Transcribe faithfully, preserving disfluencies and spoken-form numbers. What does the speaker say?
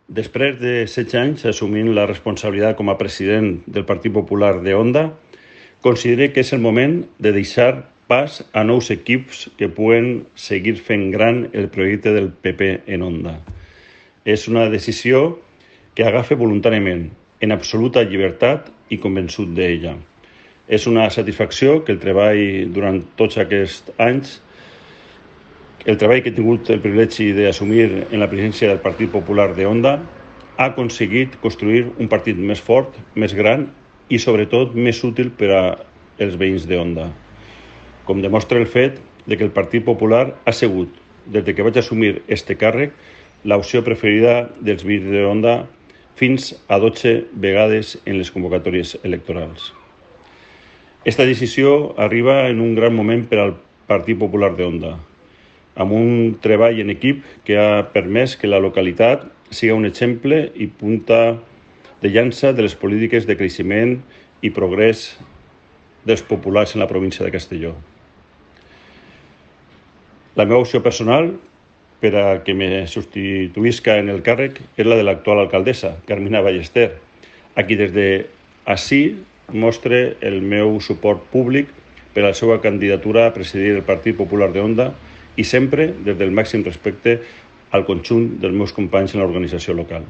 Després de setze anys assumint la responsabilitat com a president del Partit Popular de Onda, considero que és el moment de deixar pas a nous equips que puguen seguir fent gran el projecte del P P en Onda. És una decisió que agafe voluntàriament, en absoluta llibertat i convençut d'ella. És una satisfacció que el treball durant tots aquests anys, el treball que he tingut el privilegi d'assumir en la presidència del Partit Popular de Onda, ha aconseguit construir un partit més fort, més gran i sobretot més útil per als veïns d'Onda. Com demostra el fet de que el Partit Popular ha sigut, des que vaig assumir este càrrec, l'opció preferida dels veïns d'Onda fins a dotze vegades en les convocatòries electorals. Esta decisió arriba en un gran moment per al Partit Popular d'Onda, amb un treball en equip que ha permès que la localitat sigui un exemple i punta de llança de les polítiques de creixement i progrés dels populars en la província de Castelló. La meva opció personal per a que me substituïsca en el càrrec és la de l'actual alcaldessa, Carmina Ballester, a qui des d'ací mostre el meu suport públic per a la seva candidatura a presidir el Partit Popular d'Onda i sempre des del màxim respecte al conjunt dels meus companys en l'organització local.